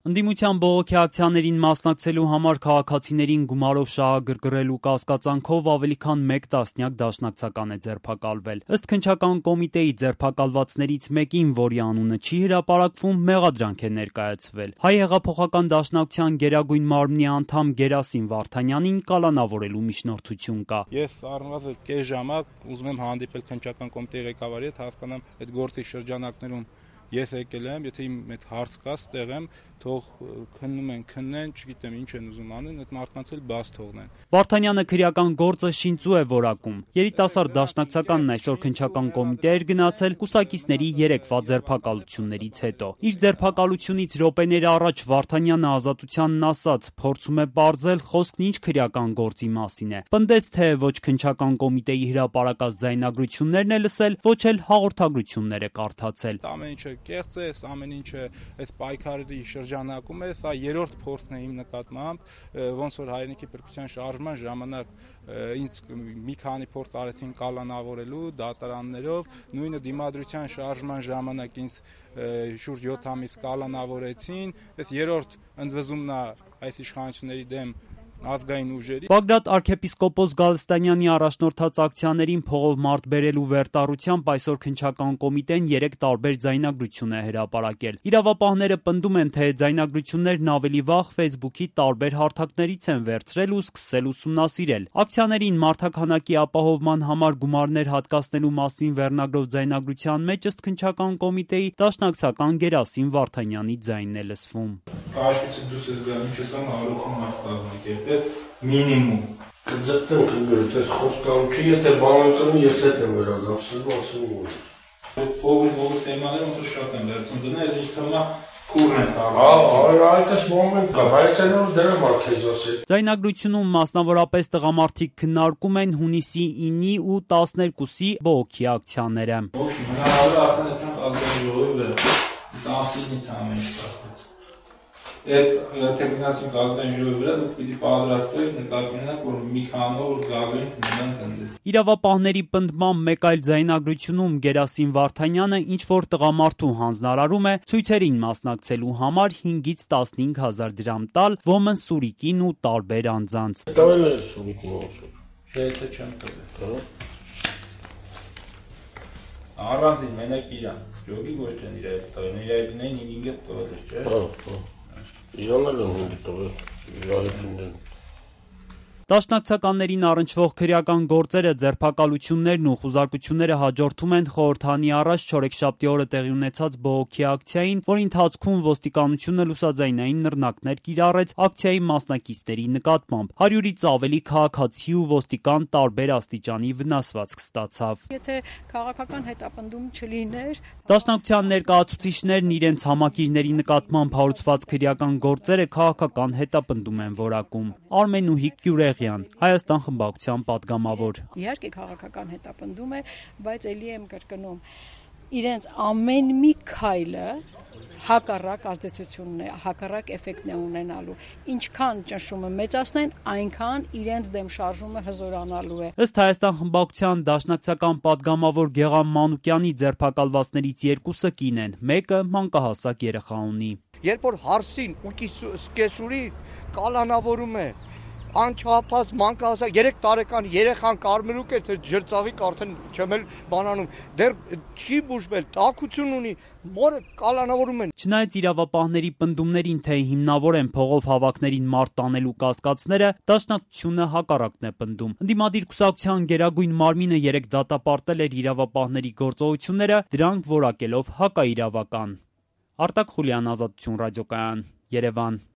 Ընդդիմության բողոքի ակցիաներին մասնակցելու համար քաղաքացիներին գումարով շահագրգռելու կասկածանքով ավելի քան 1 տասնյակ դաշնակցական է ձերբակալվել։ Ըստ քննչական կոմիտեի ձերբակալվածներից մեկին, որի անունը չի հրապարակվում, մեղադրանք է ներկայացվել։ Հայ հեղափոխական դաշնակցության գերագույն մարմնի անդամ Գերասիմ Վարդանյանին կալանավորելու միջնորդություն կա։ Ես առնվազն կես ժամանակ ուզում եմ հանդիպել քննչական կոմիտեի ղեկավարի հետ, հասկանամ այդ գործի շրջանակներում ես եկել եմ, եթե իմ այդ հարց կա, ստեղ եմ, թող քննեն, չգիտեմ ինչ են ուզում անեն, այդ մարդկանց էլ բաց թողնեն։ Վարդանյանը քրեական գործը շինծու է որակում։ Երիտասարդ դաշնակցականն այսօր քննչական կոմիտե էր գնացել կուսակիցների 3-ва ձերբակալություններից հետո։ Իր ձերբակալությունից րոպեներ առաջ Վարդանյանը Ազատությանն ասաց, փորձում է պարզել խոսքն ինչ քրեական գործի մասին է։ Պնդեց, թե ոչ քննչական կոմիտեի հրապարակած ձայնագրություններն է լսել, ոչ էլ հաղորդագրություններ է կարդացել։ Ամեն ինչը կեղծ է, ամեն ինչը այս պայքարի շրջանակում է, սա երրորդ փորձն է իմ նկատմամբ, ոնց որ հայրենիքի փրկության շարժման ժամանակ ինձ մի քանի փորձ արեցին կալանավորելու դատարաններով, նույնը դիմադրության շարժման ժամանակ ինձ շուրջ 7 ամիս կալանավորեցին, այս երրորդ ընդվզումն է այս իշխանությունների դեմ ազգային ուժերի։ Բագրատ arczepiskopos Գալստանյանի առաջնորդած ակցիաներին փողով մարդ բերելու վերտառությամբ այսօր քննչական կոմիտեն 3 տարբեր ձայնագրություն է հրապարակել։ Իրավապահները պնդում են, թե ձայնագրություններն ավելի վաղ Facebook-ի տարբեր հարթակներից են վերցրել ու սկսել ուսումնասիրել։ Ակցիաներին մարդաքանակի ապահովման համար գումարներ հատկացնելու մասին վերնագրով ձայնագրության մեջ ըստ քննչական կոմիտեի դաշնակցական Գերասիմ Վարդանյանի ձայնն է լսվում։ Մինիմում կձգտեմ կգրծ այս խոսքալուչի, եթե բանականու ես հետ եմ վերադասելու, ասում որ Փողի թեմաները ոնց շատ են վերցնում դնել, ինչ թեմա քուրն են տալու։ Այդպես մոմենտ կա, բայց այնով դրա մաքեզ ասել։ Ձայնագրությունում մասնավորապես տղամարդիկ քննարկում են հունիսի 9-ի ու 12-ի բողոքի ակցիաները։ Ոչինչ, հնարավոր է ասել ազգային ժողովի վրա։ Տասնից ամեն ինչ կա։ Այդ տեխնիկացիոն ազգային ժողովի վրա դուք պիտի պատրաստվեք նկատի ունենաք, որ մի քանով գալու են կնդել։ Իրավապահների պնդմամբ մեկ այլ ձայնագրությունում Գերասիմ Վարդանյանը ինչ-որ տղամարդու հանձնարարում է ցույցերին մասնակցելու համար 5-ից 15 հազար դրամ տալ Women Սուրիկին ու տարբեր անձանց։ Տվել է Սուրիկին ոնց։ Չէ, դա չեմ տվել։ Առանձին մենակ իրան, ջոգի ոչ թե իր այդ տվել, իր այդին 5-ը տվել է, չէ։ Իրանն էլ են տվել, Դաշնակցականներին առնչվող քրեական գործերը, ձերբակալություններն ու խուզարկությունները հաջորդում են խորհրդանի առաջ չորեքշաբթի օրը տեղի ունեցած բողոքի ակցիային, որի ընթացքում ոստիկանությունը լուսաձայնային նռնակներ կիրառեց ակցիայի մասնակիցների նկատմամբ։ 100-ից ավելի քաղաքացի ու ոստիկան տարբեր աստիճանի վնասվածք ստացավ։ Եթե քաղաքական հետապնդում չլիներ, Դաշնակցության ներկայացուցիչներն իրենց համակիրների նկատմամբ հարուցված քրեական գործերը քաղաքական հետապնդում են որակում։ Արմենուհիկ Գյուրեղյան, Հայաստան խմբակցության պատգամավոր։ Իհարկե քաղաքական հետապնդում է, բայց ելի եմ կրկնում, իրենց ամեն մի քայլը հակառակ ազդեցությունն է, հակառակ էֆեկտն է ունենալու։ Ինչքան ճնշումը մեծացնեն, այնքան իրենց դեմ շարժումը հզորանալու է։ Ըստ Հայաստան խմբակցության դաշնակցական պատգամավոր Գեղամ Մանուկյանի ձերբակալվածներից 2-ը կին են, մեկը մանկահասակ երեխա ունի։ Երբ որ հարսին ու կեսուրի կալանավորում է, անչափահաս մանկահասակ 3 տարեկան երեխան կարմրուկ է, թե ջրծաղիկ արդեն չեմ էլ բանանում, դեռ չի բուժվել, տաքություն ունի, մորը կալանավորում են։ Չնայած իրավապահների պնդումներին, թե հիմնավոր են փողով հավաքներին մարդ տանելու կասկածները, դաշնակցությունը հակառակն է պնդում։ Ընդդիմադիր կուսակցության գերագույն մարմինը 3 դատապարտել էր իրավապահների գործողությունները, դրանք որակելով հակաիրավական։ Արտակ Խուլյան, Ազատություն ռադիոկայան, Երևան։